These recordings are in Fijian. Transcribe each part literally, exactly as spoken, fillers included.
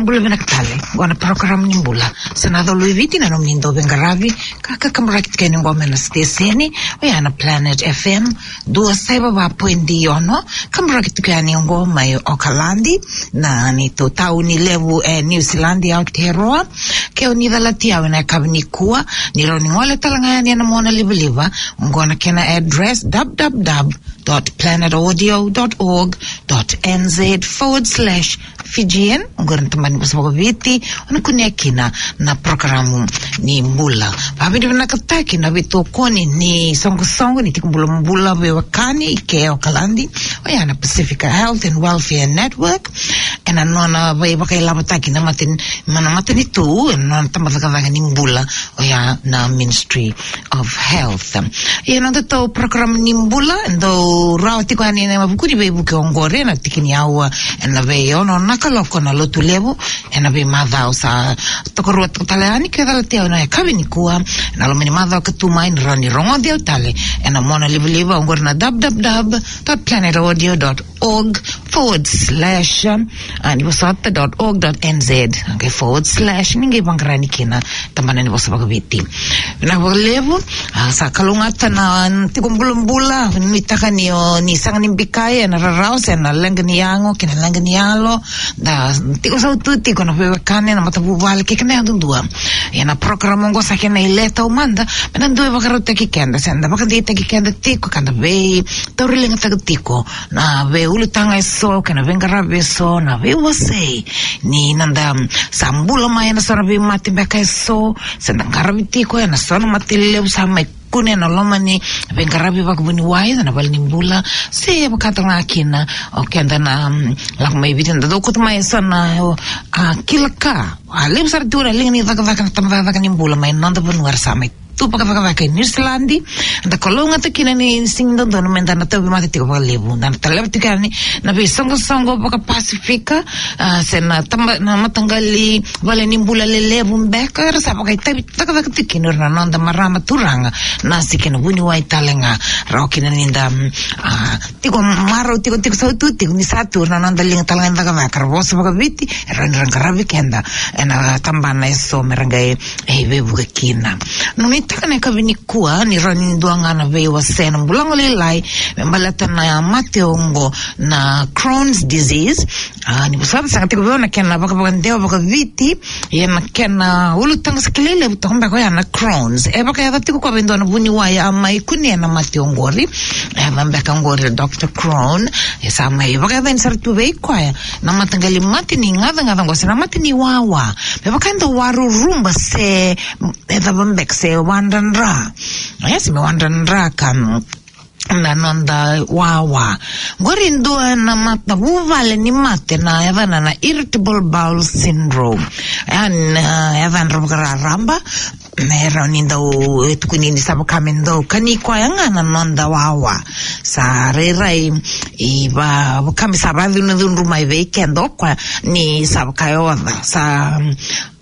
Bula vinaka tale, qo na program ni bula. Sa na colo i Viti na nomuni dau veiqaravi, ka, ka kaburaki tiko yani qo mai na siteseni, oya na Planet F M, dua saiva va poidi ono, kaburaki tiko yani qo mai Okaladi, na neitou tauni levu e Niu Siladi, Aotearoa. Ke o ni calati au ena yakavi nikua, ni rawa ni gole tale ga yani ena monalivaliva, qo na kena address, w w w dot planet audio dot org dot n z forward slash Fijian, oqori na tabana ni vosa vakaViti, o na kunea kina na parokaramu ni bula. Vakavinavinakataki na veitokoni ni soqosoqo ni tiko bulabula veiwekani i ke Okaladi, oya na Pacifica Health and Welfare Network, ena nona veivakailavotaki na mata-, na matanitu, ena nona tabacakacaka ni bula, oya na Ministry of Health. Ia na nodatou parokaramu ni bula, dau rawa tiko yani ena vuku ni veivuke oqori, ena tiki ni aua ena veiono na kaloko na Lotulevu, ena veimacawa sa tokaruataka tale yani. Ke calati au ena yakavi nikua, ena loma ni macawa ka tu mai, ni rawa ni rogoci au tale ena monalivaliva, oqori na w w w dot planet audio dot org forward slash, ah, ni vosota dot org dot n z, okay, forward slash, ni qai vaqara yani kina tabana ni vosa vakaViti. Vinaka vakalevu, ah, sa kalougata na tiko bulabula, nuitaka ni o ni sega ni bikai ena rarawa se na leqa ni yago kei na leqa ni yalo, da tiko sautu tiko na veiwekani, na matavuvale kei keda yadudua. Ia na parokaramu oqo sa kena ile taumada, me da dau vakarautaki keda, se da vakadeitaki keda tiko, ka da veitauriligataka tiko na veiulutaga eso kei na veiqaravi eso, na veiwasei ni noda, mm, sa bula mai ena so na veimate beka eso, se da qaravi tiko ena so na mate levu sa mai kune ena loma ni veiqaravi vakavuniwai, na vale ni bula, se vaka tale ga kina o keda na, mm, lako mai Viti, da dau kauta mai eso na, o, a, kila ka. A levu sara tu na liga ni cakacaka na tabacakacaka ni bula mai noda vanua era sa mai tu vakacakacaka i Niu Siladi. Da kalougata kina ni sega ni dodonu me da na tauvimate tiko vakalevu. Da na taleva tiko yani na veisoqosoqo vakaPasifika, ah, se na taba-, na mataqali vale ni bula lelevu beka era sa vakaitavi cakacaka tiko kina o ira na noda marama, turaga, nasi kei na vuniwai tale ga. Rawa kina ni da, mm, ah, tiko marau tiko, tiko sautu tiko ni sa tu o ira na noda liga tale ga ni cakacaka era vosa vakaViti, era rawa ni ra qaravi keda ena tabana eso me ra qai, e, veivuke kina. Nuitaka na yakavi nikua ni rawa ni dua ga na veiwasei na bula gole lailai me baleta na mate oqo na Crohn's disease. Ah, ni vosota, sega tiko vei au na kena vakavakadewa vakaViti, ia na kena ulutaga sa kilai levu toka beka oya na Crohn's. E vakayaca tiko koya vei dua na vuniwai a mai kunea na mate oqori. E yaca beka oqori o Doctor Crohn. E sa mai vakayacani sara tu vei koya na mataqali mate ni gacagaca oqo, se na mate ni wawa. Me vaka e dau waruruba se, e cava beka, se wadradra. E, se me wadradra ka, mm, na noda wawa. Qori dua na matavuvale ni mate na yacana na irritable bowel syndrome. E, na, e, yacadra vakararaba, me rawa ni dau, e, tukuni ni sa vaka me dau kani koya ga na noda wawa. Sa rairai, e, va-, vaka me sa vakacudrucudru mai vei keda o koya ni sa vaka e oca. Sa,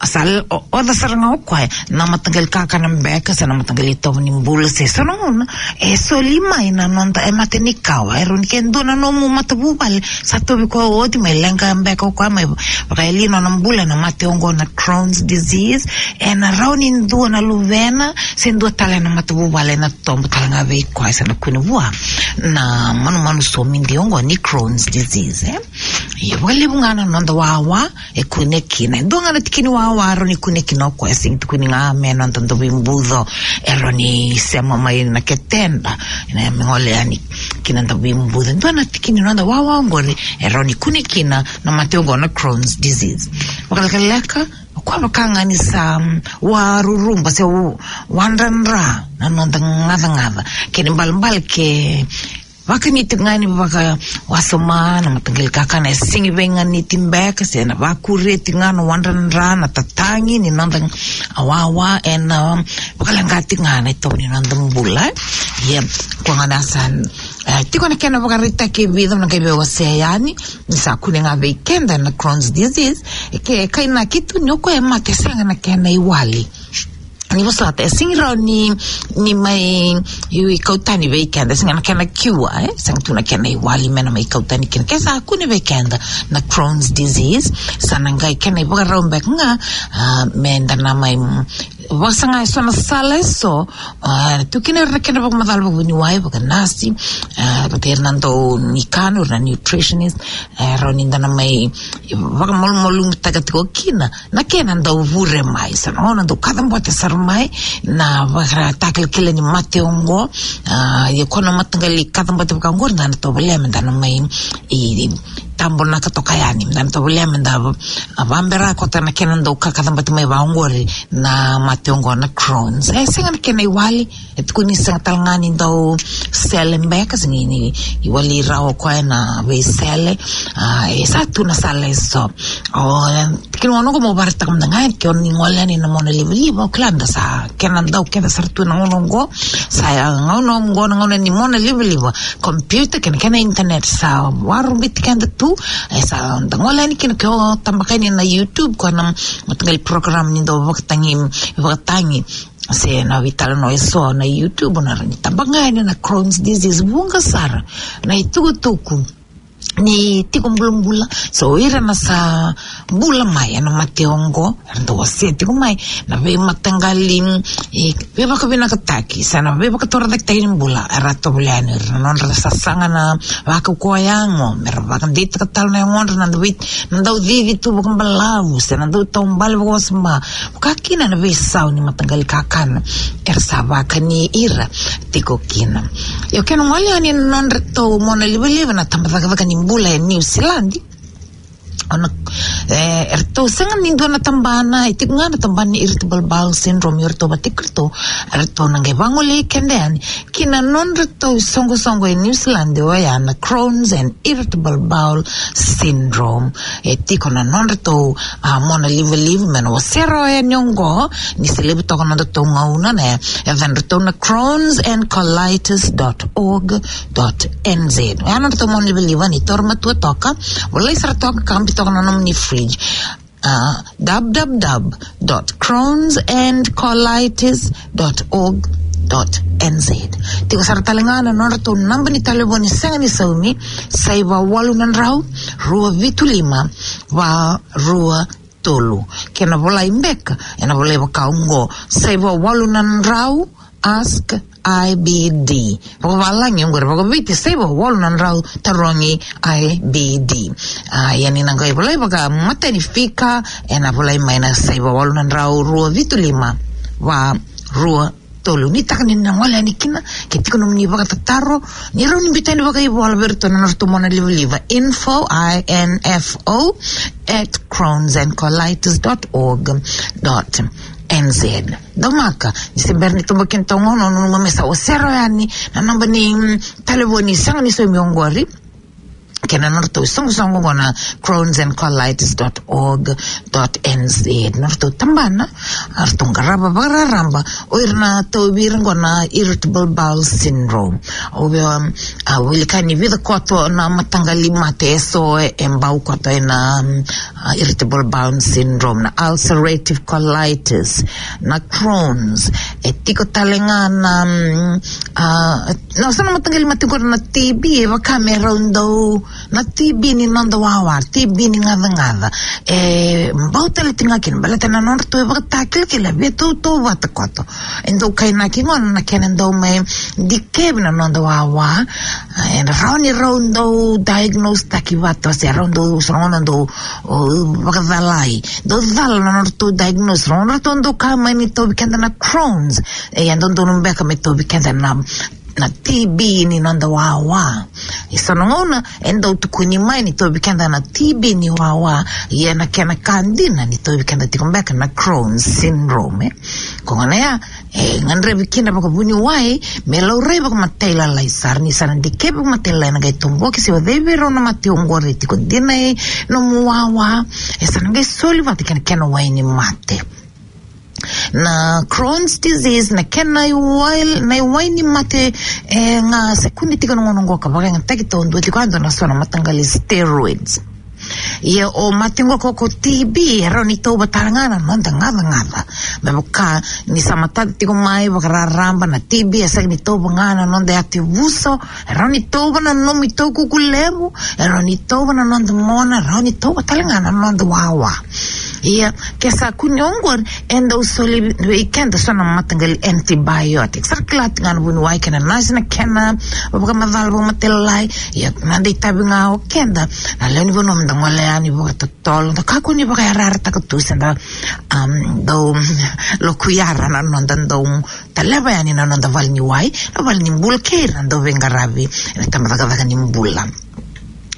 sa l-, o-, oca sara ga o koya na mataqali kakana beka, se na mataqali itovo ni bula, se so na gauna e soli mai na noda, e, mate ni kawa. E rawa ni ke dua na nomu matavuvale sa tauvi koya oti, mai leqa beka o koya, mai vakayalia nona bula na mate oqo na Crohn's disease. E na rawa ni dua na luvena se dua tale na matavuvale na tobo tale ga vei koya, sa na kune vua na manumanu somidi oqo ni Crohn's disease, e. Ia, vakalevu ga na noda wawa e kune kina. E dua ga na tiki ni wawa e rawa ni kune kina o koya, e sega ni tukuni ga me noda dauveibuco e rawa ni sema mai na keteda, na me gole yani kina dauveibuco. E dua na tiki ni noda wawa oqori e rawa ni kune kina na mate oqo na Crohn's disease. Vakalekaleka, o koya vaka ga ni sa, mm, waruruba se wa-, wadradra na noda gacagaca. Kena ibalebale ke vakaniti ga ni vakawasoma na mataqali kakana, e sega ni veiganiti beka, se na vakuria tiko ga na wadradra, na tatagi ni noda wawa, e na vakaleqati ga na itovo ni noda bula. Ia, koya ga na sa, e, tiko na kena vakaraitaki e vica, na qai veiwasei yani ni sa kune ga vei keda na Crohn's disease. E ke kainaki tu ni o koya e mate, sega na kena iwali. Ni vosota, e sega ni rawa ni, ni mai, i, i kau tani vei keda, e sega na kena cure, e? Sega tu na kena iwali me na mai kau tani kina. Ke sa kune vei keda na Crohn's disease, sa na qai kena ivakarau beka ga, a, me da na mai, mm, vakasaga eso na sala eso, a, tu kina era na kena vakamacala vakavuniwai, vakanasi, a, vata era na dau ni kana, era na nutritionist, e, rawa ni da na mai vakamalumalumutaka tiko kina na kena dau vure mai, sa na gauna dau kaca bote sara mai na vakatakilakila ni mate oqo. A, ia ko na mataqali kaca bote vaka oqori, da na tovolea me da na mai, i, tabonaka toka yani, da na tovolea me da va-, a, vabera koto na kena dau ka-, kaca bote mai vaka oqori na mate oqo na Crohn's. E sega na kena iwali, e tukuni sega tale ga ni dau sele beka, sega ni, ni iwali rawa o koya na veisele. A, e sa tu na sala eso. O, e, kina gauna oqo mo vakaraitaka mada ga, ke o ni gole yani na mona livaliva, o kila da sa kena dau keda sara tu na gauna oqo. Sa ya gauna oqo na gauna ni mona livaliva, computer kei na kena internet sa vakarabaiti keda tu. E sa da gole yani kina, ke o tabaka yani na YouTube, ko na mataqali program ni dau vakatagi, vakatagi se na veitalanoa eso na YouTube, na rawa ni tabaka yani na Crohn's disease, vuqa sara na itukutuku ni tiko bulabula. So ira na sa bula mai ena mate oqo, era dau wasea tiko mai na veimataqali, e, veivakavinakataki se na veivakatorocaketaki ni bula, era tovolea yani ira na nodra sasaga na vakaukauwa yago, me ra vakadeitaka tale na yagodra na dau vei-, na dau cici tu vakabalavu se na dau taubale vakawasoma, vaka kina na veisau ni mataqali kakana era sa vakani ira tiko kina. Io, ke na gole yani na nodratou mona livaliva na tabacakacaka ni bula e New Zealand, o na, e, eratou sega ni dua na tabana, e tiko ga na tabana ni irritable bowel syndrome, eratou vata kei iratou, eratou na qai vagolei keda yani ki na nodratou isoqosoqo e New Zealand, oya na Crohn's and irritable bowel syndrome. E tiko na nodratou, a, mona livaliva me na wasea rawa yani oqo, ni se levu toka na nodratou gauna, na yacadratou na Crohn's and colitis dot org dot N Z. Oya na nodratou mona livaliva, ni taura matua toka, volai sara toka, kabi toka na nomuni fridge. A, w w w dot crohn's and colitis dot org dot N Z. Tiko sara tale ga na nodratou naba ni talevoni sega ni saumi, saiva walu na drau, rua vitu lima, va rua tolu. Ke na volai beka, e na volai vaka oqo: saiva walu na drau, ask I B D. Vakavalagi oqori, vakaviti, saiva walu na drau, tarogi I B D. A, ia ni na qai volai vakamatanifika, e na volai mai na saiva walu na drau, rua vitu lima, va rua tolu. Ni taka ni na gole yani kina, ke tiko nomuni vakatataro, ni rawa ni biuta yani vakaivola vei iratou na nodratou mona livaliva, info, I N F O, at crohn's and colitis dot org dot N Z. Daumaka, ni se bera ni tobo kina toka, o nanuma me sa wasea rawa yani na naba ni, mm, talevoni sega ni saumi oqori, kei na nodratou isoqosoqo oqo na crohn's and colitis dot org dot N Z. Nodratou tabana, eratou qarava vakararaba o ira na tauvi ira oqo na irritable bowel syndrome. O vei, um, a, wilika ni vica koto na mataqali mate eso e, e bau koto ena, um, a, irritable bowel syndrome, na ulcerative colitis, na Crohn's, e tiko tale ga na, mm, a, na so na mataqali mate qori na T B, e vaka me rau dau, na T B ni noda wawa, T B ni gacagaca. E bau tale tiko ga kina, baleta na nodratou ivakatakilakila e veitautauvata koto. E dau kainaki gona na kena dau mai dikevi na noda wawa. E rawa ni rau dau diagnose taki vata, se rau dau, so na gauna dau, o, vakacalai. Dau cala na nodratou diagnose, so na gauna ratou dau kaya mai ni tauvi keda na Crohn's. E, e dodonu beka me tauvi keda na, na T B ni noda wawa. E so na gauna e dau tukuni mai ni tauvi keda na T B ni wawa, ia na kena ka dina ni tauvi keda tiko beka na Crohn's syndrome, e. Ko gona ya, e gadrevi kina vakavuniwai me laurai vakamatailalai sara. Ni sa na dikevi vakamatailalai, na qai toboki se o cei vei rau na mate oqori e tiko dina e nomu wawa, e sa na qai soli vata kei na kena wai ni mate. Na Crohn's disease, na kena iwai, na iwai ni mate, e, ga se kune tiko na gauna oqo ka vakayagataki taudua tiko, e dua na so na mataqali steroids. Ia o mate qo ko, ko T B, e rawa ni tauva tale ga na noda gacagaca. Me vaka ni sa matata tiko mai vakararaba na T B, e sega ni tauva ga na noda yatevuso, e rawa ni tauva na nomu itaukuku levu, e rawa ni tauva na noda mona, e rawa ni tauva tale ga na noda wawa. Ia ke sa kune oqori, e dau soli vei keda so na mataqali antibiotic. Sa ra kila tiko ga na vuniwai kei na nasi na kena vakamacala vakamatailalai. Ia na noda itavi ga o keda na lewe ni vanua, me da gole yani vakatotolo, da kakua ni vakayarayarataka tu se da, um, dau lokuyara na noda dau taleva yani na noda valeniwai, na valenibula kei ira na dau veiqaravi ena tabacakacaka ni bula.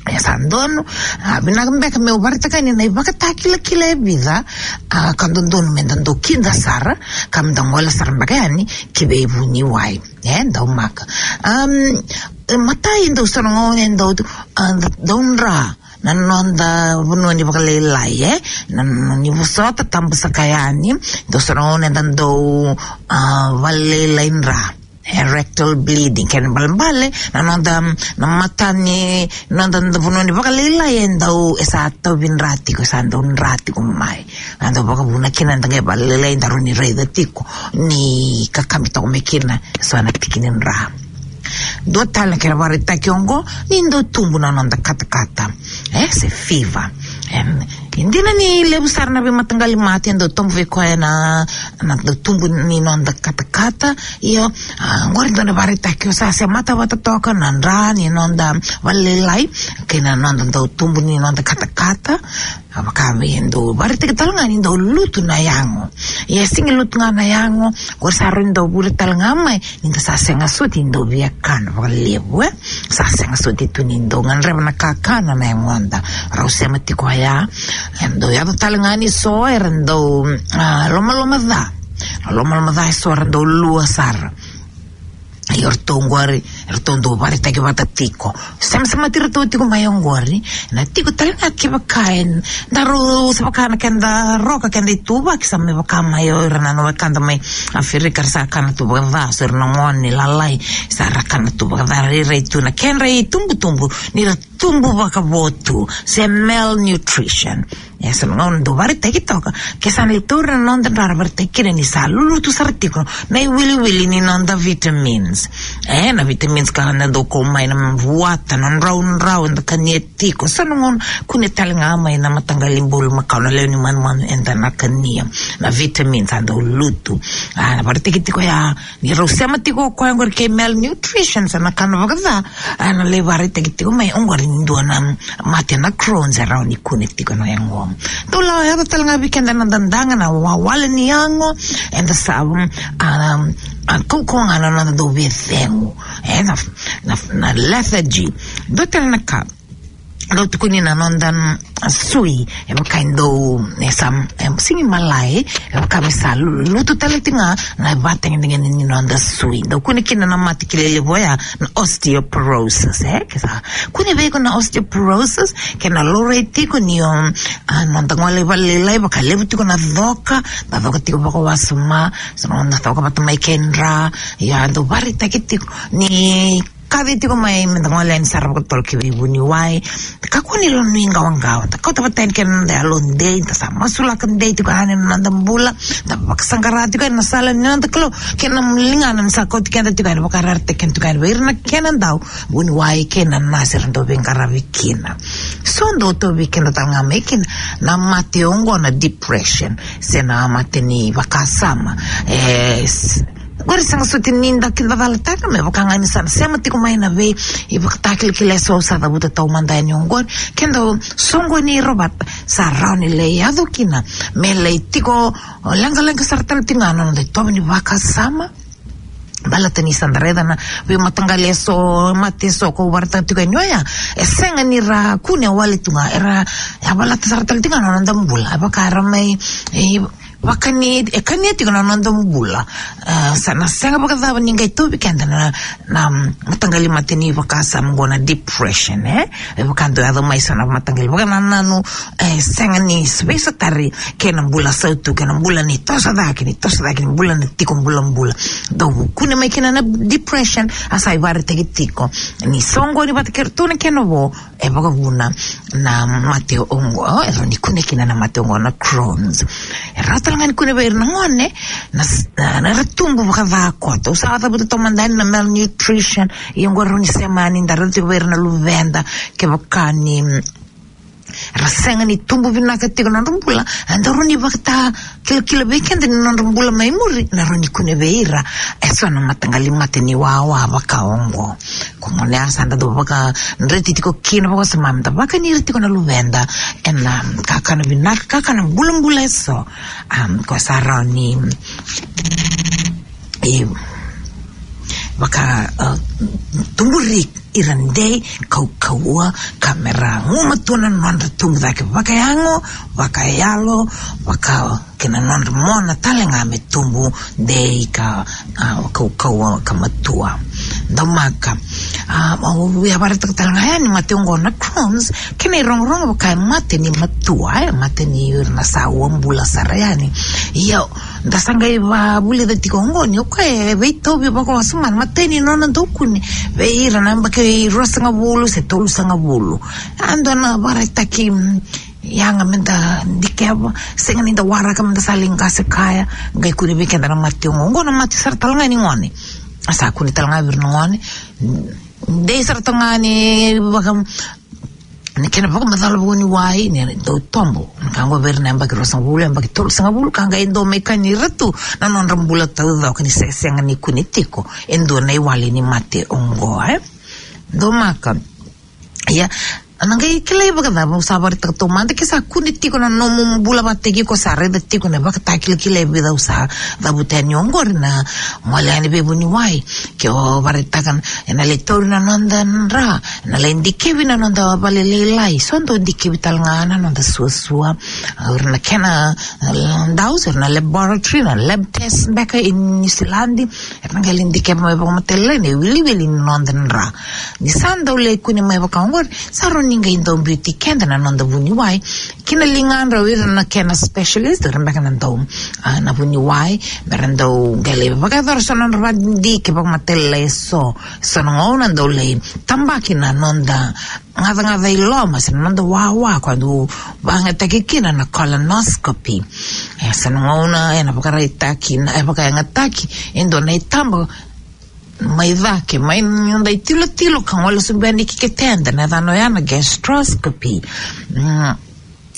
E sa donu, a, vinaka beka meu vakaraitaka yani na ivakatakilakila e vica, a, ka dodonu me da dau kida sara, ka me da gole sara beka yani ki veivuniwai. E, dau maka. Um, e, matai, dau sa na gauna e dau, a, dau dra na noda vanua ni vakalailai, e? Na, na ni vosota, tabasaka yani, dau sa na gauna eda dau, a, valelailai dra. E, rectal bleeding, kena ibalebale na noda, na mata ni noda, noda vanua ni vakalailai e dau, e sa tauvi dra tiko, e sa dau dra tiko mai. A dau vakavuna kina da qai valelailai, da rawa ni raica tiko ni kakabi toka mai kina e so na tiki ni dra. Dua tale na kena vakaraitaki oqo, ni dau tubu na noda katakata, e, se fever. E, e dina ni levu sara na veimataqali mate e dau tubu vei koya na, na dau tubu ni noda katakata. Io, a, oqori dua na vakaraitaki, o sa semata vata toka na dra ni noda valelailai kei na noda dau tubu ni noda katakata. A, vaka me dau vakaraitaki tale ga ni dau lutu na yago. Ia, sega ni lutu ga na yago, oqori sa rawa ni dau vure tale ga mai ni da sa sega soti ni dau via kana vakalevu, e? Sa sega soti tu ni dau gadreva na kakana na yagoda. Rau sema tiko oya. E dau yaco tale ga ni so era dau, a, lomaloma ca. Lomaloma ca e so era dau lua sara. Ia o ratou oqori, e ratou dau vakaraitaki vata tiko. Semasemati ratou tiko mai oqori. Na tiko tale ga kevaka e daru, se vaka na keda roka, keda ituvaki, sa me vaka mai o ira na wekada mai Aferika, era sa kana tu vakaca, so ira na gone lalai, sa ra kana tu vakaca, rairai tu na kedra itubutubu ni ra tubu vakavo tu, se malnutrition. E sa na gauna dau vakaraitaki toka, ke sa na lai tauri na noda dra, ra vakaraitaki kina ni sa lulutu sara tiko na iwiliwili ni noda vitamins. E, na vitamins ka na dau kau mai na vuata, na draudrau eda kania tiko. Sa na gauna kune tale ga mai na mataqali bulumakau, na lewe ni manumanu eda na kania, na vitamins a dau lutu. A, na vakaraitaki tiko ya, ni rau sema tiko o koya oqori kei malnutrition, sa na kana vakaca, a, na lai vakaraitaki tiko mai oqori ni dua na mate na Crohn's e rawa ni kune tiko na yago. Dau lako yaco tale ga vei keda na dadaga, na wawale ni yago, eda sa, um, a, a, kaukauwa ga na noda dau via cegu. E, na, na, na lethargy. Dua tale na ka dau tukuni na noda, mm, sui, e vaka e dau, e sa, e sega ni malai, e vaka me sa lu-, lutu tale tiko ga na ivakatagedegede ni noda sui. Dau kune kina na mate kilai levu oya, na osteoporosis, e? Ke sa kune vei iko na osteoporosis, ke na laurai tiko ni o, a, noda gole i valelailai, vakalevu tiko na coka, na coka tiko vakawasoma, so na noda coka vata mai kei dra, ia dau vakaraitaki tiko ni kaci tiko mai me da gole yani sara vakatotolo ki veivuniwai. Kakua ni lako nuiqawaqawa. Da kauta vata yani kei na noda yalodei, da sa masulaka dei tiko yani na noda bula, da vakasaqara tiko yani na sala ni noda Kalou, kei na ligana ni sa kauti keda tiko yani, vakarayarataki keda tiko yani vei ira na kena dau vuniwai kei na nasi era dau veiqaravi kina. So dau tauvi keda tale ga mai kina na mate oqo na depression, se na mate ni vakasama. E, s-, Qori sega soti ni da kidacala tale ga, me vaka ga ni sa na sema tiko mai na vei ivakatakilakila eso au sa cavuta taumada yani oqori. Keda soqoni Rovata, sa rawa ni lai yaco kina me lai tiko leqaleqa sara tale tiko ga na noda itovo ni vakasama. Baleta ni sa da raica na veimataqali eso, mate eso kau vakaraitaka tiko yani oya, e sega ni ra kune wale tu ga, era yavalata sara tale tiko ga na noda bula. E vaka era mai, e, Vakani, e kania tiko na noda bula. Ah, sa na sega vakacava ni qai tauvi keda na, na, mm, mataqali mate ni vakasama oqo na depression, eh? E vaka dau yaco mai so na mataqali vakanananu, eh, sega ni veisautari kei na bula sautu, kei na bula ni toso cake, ni toso cake, ni bula ni tiko bulabula. Dau kune mai kina na depression, a sa ivakaraitaki tiko ni soqoni vata kei ratou na kena vo, e vakavuna na mate oqo, e rawa ni kune kina na mate oqo na Crohn's. E rawa tale ga ni kune vei ira na gone, na s-, na, na ra tubu vakaca koto. Au sa cavuta toka mada yani na malnutrition, ia oqo rawa ni sema yani, da raica tiko vei ira na luveda, kevaka ni, mm, ra sega ni tubu vinaka tiko na nodra bula, e dau rawa ni vakatakilakila vei keda ni nodra bula mai muri, na rawa ni kune vei ira eso na mataqali mate ni wawa vaka oqo. Ko gone ya sa da dau vakadreti tiko kina vakawasoma, da vakani ira tiko na luveda ena kakana vinaka, kakana bulabula eso. Am, ko sa rawa ni, e, vaka, e, tuburi ira dei, kaukauwa, ka me ra gumatua na nodra tubu cake vakayago, vakayalo, vaka kei na nodra mona tale ga me tubu dei ka, a, kaukauwa ka matua. Daumaka. A, au via vakaraitaka tale ga yani mate oqo na Crohn's, kei na irogorogo vaka e mate ni matua, e mate ni ira na sa uabula sara yani. Ia, da sa qai vavulica tiko oqo ni o koya e veitauvi vakawasoma na imatai ni nona dau kune vei ira na yabaki ruasagavulu se tolusagavulu. A dua na vakaraitaki, mm, yaga meda dikeva, sega ni da waraka meda sa lai qase kaya, qai kune vei keda na mate oqo. Oqo na mate sara tale ga ni gone. A sa kune tale ga vei ira na gone. Dei sara tale ga ni vaka, ni kena vakamacala vuniwai, ni dau tobo. Na ka oqo vei ira na yabaki ruasagavulu, yabaki tolusagavulu, ka qai dau mai kani ira tu na nodra bula taucoko ni se sega ni kune tiko e dua na iwali ni mate oqo, e. Daumaka. Ia, na qai kilai vakacava, au sa vakaraitaka taumada ke sa kune tiko na nomu bula vakataki iko, sa raica tiko na ivakatakilakila e vica au sa cavuta yani oqori na gole yani vei vuniwai. Ke o vakaraitaka ena lai tauri na noda dra, ena lai dikevi na noda valelailai, so dau dikevi tale ga na noda suasua. O ira na kena, e, dau, o ira na laboratory, na lab test beka e Niusiladi, era na qai lai dikeva mai vakamatailalai na iwiliwili ni noda dra. Ni sa dau lai kune mai vaka oqori, sa rawa ni qai dau biuti keda na noda vuniwai ki na ligadra o ira na kena specialist, o ira beka na dau, a, na vuniwai, me ra dau qai lai vakayacora so na nodra vakadidike vakamatailalai eso. So na gauna dau lai tabaki na noda gacagaca i loma se na noda wawa, koya dau vakayagataki kina na colonoscopy. E, so na gauna ena vakaraitaki, na, e vakayagataki e dua na itaba mai cake, mai noda itilotilo ka gole sobu yani ki keteda, na yacana oya na gastroscopy. Mm.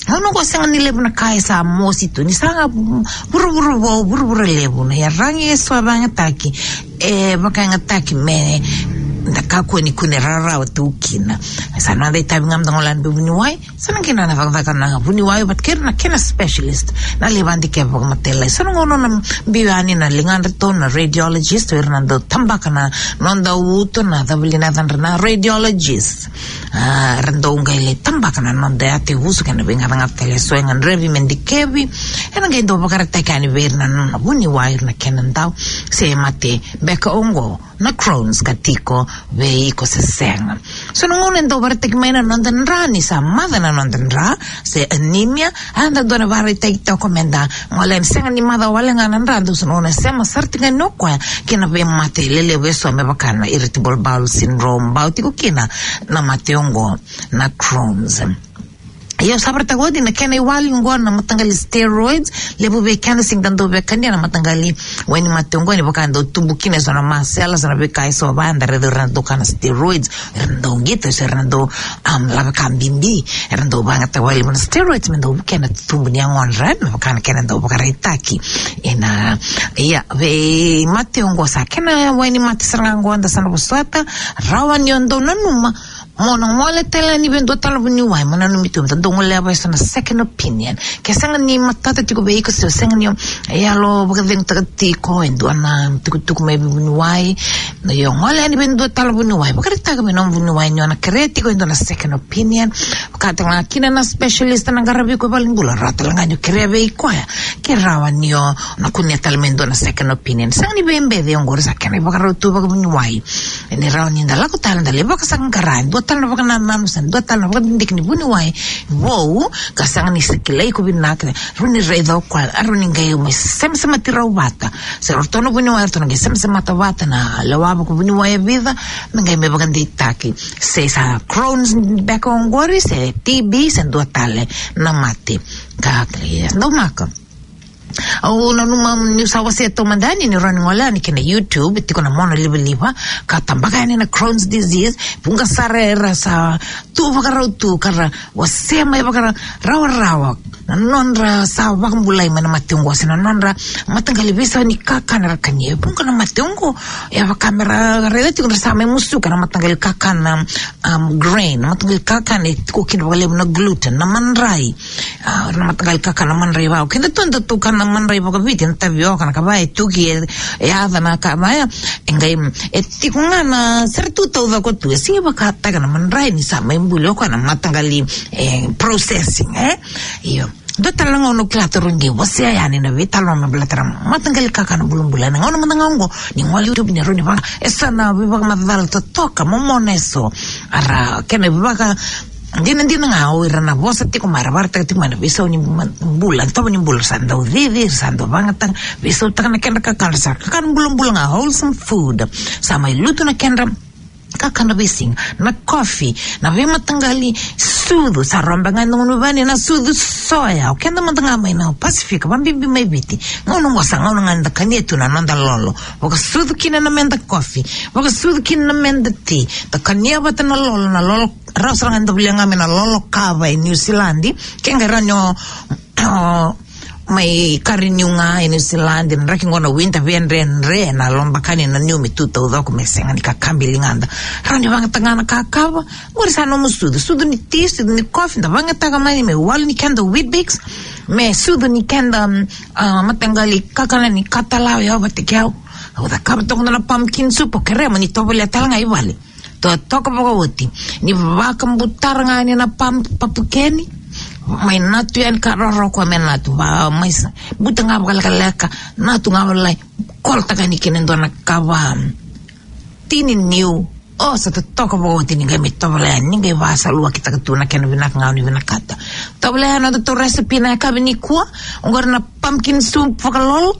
Au na qo sega ni levu na ka e sa mosi tu, ni sa ga vuravura vou, vuravura levu, na iyaragi eso e vakayagataki, e vakayagataki me da kakua ni kune rarawa tu kina. Sa noda itavi ga meda gole yani vei vuniwai, sa na qai na cakacaka na vuniwai vata kei ira na kena specialist, na lai vakadikeva vakamatailalai. So na gauna na biu yani na ligadratou na radiologist, o ira na dau tabaka na noda uto, na cava li na yacadra, na radiologist. A, era dau qai lai tabaka na noda yatevuso kei na veigacagaca tale eso e gadrevi me dikevi. Ena qai dau vakaraitaki yani vei ira na nona vuniwai, ira na kena dau se mate beka oqo na Crohn's ka tiko vei iko se sega. So na gauna e dau vakaraitaki mai na noda dra ni sa maca na noda dra, se anemia, a, da dua na vakaraitaki toka meda gole yani, sega ni maca wale ga na dra, dau so na gauna e sema sara tiko yani o koya ki na veimate lelevu eso me vaka na irritable bowel syndrome, bau tiko kina na mate oqo na Crohn's. Ia, au sa vakaraitaka oti na kena iwali oqo na mataqali steroids, levu vei keda sega ni da dau via kania na mataqali wainimate oqo, ni vaka e dau tubu kina eso na masela, eso na veika eso vaya, da raica o ira na dau kana steroids, era dau qito, eso era dau, am, lavaka bibi, era dau vakayagataka vakalevu na steroids me dau vukea na tubu ni yagodra, me vaka na kena dau vakaraitaki. Ena, ia, veimate oqo sa kena wainimate sara ga oqo da sa na vosota, rawa ni o dau nanuma, mo na gole tale yani vei dua tale na vuniwai, mo nanumi tu me da dau golea vei so na second opinion. Ke sega ni matata tiko vei iko, se sega ni o yalo vakacegutaka tiko e dua na tukutuku mai vei vuniwai, na io gole yani vei dua tale na vuniwai, vakaraitaka vei na vuniwai ni o na kerea tiko e dua na second opinion. Vakataka kina na specialist na qaravi iko e valenibula, rawa tale ga ni o kerea vei koya ke rawa ni o na kunea tale mai dua na second opinion. Sega ni veibeci oqori, sa kena ivakarau tu vakavuniwai. Ni rawa ni da lako tale, da lai vakasaqara e dua tale na vakanananu se dua tale na vakadidike ni vuniwai vou, ka sega ni sa kilai iko vinaka, rawa ni raica o koya, rawa ni qai mai semasemati rau vata. Se ratou na vuniwai, ratou na qai semasemata vata na lewa vakavuniwai e vica, me qai mai vakadeitaki se sa Crohn's beka oqori, se T B, se dua tale na mate. Ka, ka, ia, daumaka. Au nanuma niu sa wasea taumada yani ni rawa ni gole yani ki na YouTube, tiko na monalivaliva, ka tabaka yani na Crohn's disease, vuqa sara era sa tu vakarau tu, ka ra wasea mai vakara-, rawarawa na nodra sa vakabulai mai na mate oqo, se na nodra mataqali veisau ni kakana era kania. E vuqa na mate oqo, e vaka me ra raica tiko ni ra sa mai musuka na mataqali kakana, um, grain, na mataqali kakana e tiko kina vakalevu na gluten, na madrai. A, na mataqali kakana madrai vaka, keda tu da tukana na madrai vakaviti, na tavioka, na kava e tuki, e, e yaca na kava ya, e qai, e tiko ga na, sara tu taucoko tu, e sega vakataka na madrai ni sa mai buli o koya na mataqali, e, processing, e? Io. Dua tale na gauna au kila taru qai wasea yani na veitalanoa me baleta na mataqali kakana bulabula. Na gauna mada ga oqo, ni gole YouTube ni rawa ni vaka, e sa na veivakamacala totoka, momona e so. Ara, kena vaka, dinadina ga o ira na vosa tiko mai, ra vakaraitaka tiko mai na veisau ni ma-, bula, tovo ni bula, sa dau cici, sa dau vagataka, veisautaka na kedra kakana, sa kakana bulabula ga, wholesome food. Sa mai lutu na kedra kakana veisiga, na coffee, na veimataqali sucu, sa robe ga e dua na vani na sucu soya, o keda mada ga mai na Pasifika, vabibi mai Viti. Gauna oqo sa gauna ga da kania tu na noda lolo, vakasucu kina na meda coffee, vakasucu kina na meda tea, da kania vata na lolo, na lolo rawa sara ga ni da volia ga me na lolo kava e Niusiladi. Ke qai rawa ni o, o mai ka renew ga e Niusiladi, na draki qo na winter, via dredre na lobakani na niu me tu taucoko me sega ni kakabi ligada. Rawa ni vagataka ga na kakava, qori sa nomu sucu, sucu ni tea, sucu ni coffee, da vagataka mai me walu ni keda Weet-Bix, me sucu ni keda, mm, a, mataqali kakana ni katalau, e au vata kei au. Au cakava toka na pumpkin soup, o kerea mo ni tovolea tale ga i vale. Totoka vakaoti. Ni vakabutara ga yani na pam-, papukeni. Mai natu yani ka roro koya me natu. Va, mai sa, buta ga vakalekaleka. Natu ga volai. Kolotaka yani kina e dua na kava. Tini niu. O, sa totoka vakaoti ni qai mai tovolea yani. Ni qai vasaluwakitaka tu na kena vinaka ga o ni vinakata. Tovolea yani na nodatou recipe na yakavi nikua. Oqori na pumpkin soup vakalolo.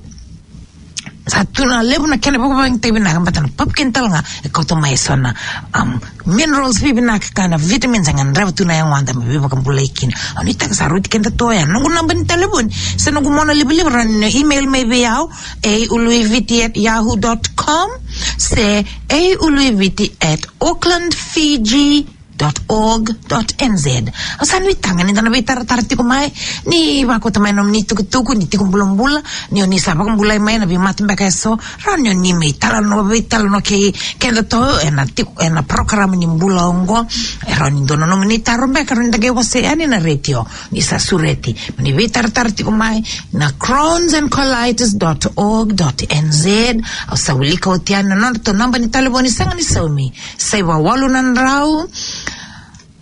Sa tu na levu na kena vakavakayagataki vinaka, baleta na pumpkin tale ga e kauta mai e so na, um, minerals veivinaka kei na vitamins e gadreva tu na yagoda me veivakabulai kina. Au nuitaka sa rauti keda tu oya. Noqu naba ni talevoni se noqu monalivaliva, rawa ni email mai vei au, a uluiviti at yahoo dot com se a uluiviti at Auckland Fiji dot org dot N Z. Au sa nuitaka ni da na veitaratara tiko mai, ni vakauta mai na nomuni tukutuku, ni tiko bulabula, ni o ni sa vakabulai mai na veimate beka e so, rawa ni o ni mai talanoa, veitalanoa kei kedatou ena tiko, ena program ni bula oqo. E rawa ni dua na nomuni taro beka, rawa ni da qai wasea yani na retio, ni sa sureti mo ni veitaratara tiko mai na Crohn's and colitis dot org dot N Z. Au sa wilika oti yani na nodratou naba ni talevoni, sega ni saumi. Saiva walu na drau,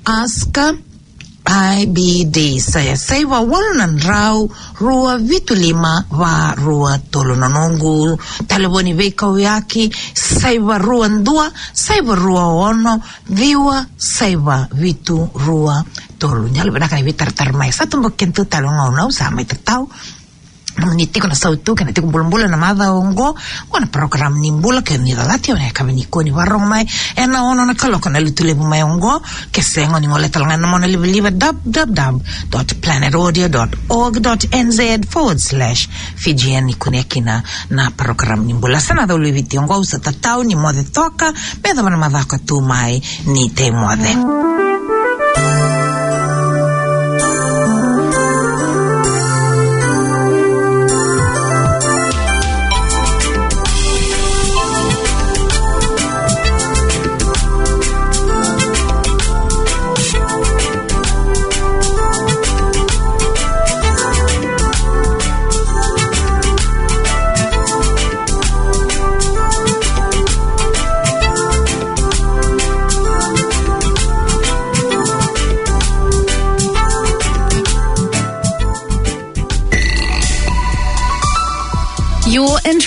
ask I B D, sa ya saiva walu na drau, rua vitu lima, va rua tolu. Na noqu talevoni veikauyaki, saiva rua dua, saiva rua ono, ciwa, saiva vitu rua tolu. Ni yalovinaka ni veitaratara mai. Sa toboki kedatou tale gauna au sa mai tatau. Ni tiko na sautu kei na tiko bulabula na macawa oqo, oqo na program ni bula kei ni calati, o na yakavi nikua ni vakarorogo mai ena ono na kaloko na Lotulevu mai oqo. Ke sega, o ni gole tale ga na monalivaliva, w w w dot planet audio dot org dot N Z forward slash Fijian, ni kunea kina na program ni bula. Sa na caulu i Viti oqo, au sa tatau ni moce toka me yacova na macawa ka tu mai, ni tei moce.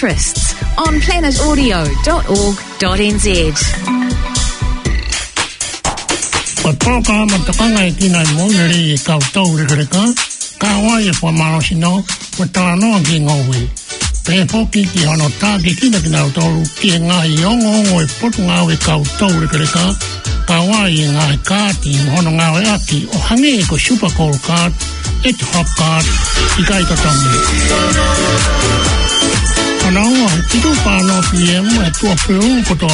interests on planet audio dot org dot N Z. Ko toka ma toka ngai ki na mo neri e kau tau rekareka, ka wai e fua malo sino, ko tala no ki ngowi. Pe foki ki hono taki kina kina o tolu, ki e ngai ongo ongo e potu ngau e kau tau rekareka, ka wai e ngai kati, hono ngau e aki, o hangi ko super cold card, e te hop card, i kai totongi. Hono ongo, titu pa no P M, e tua pelu, ko to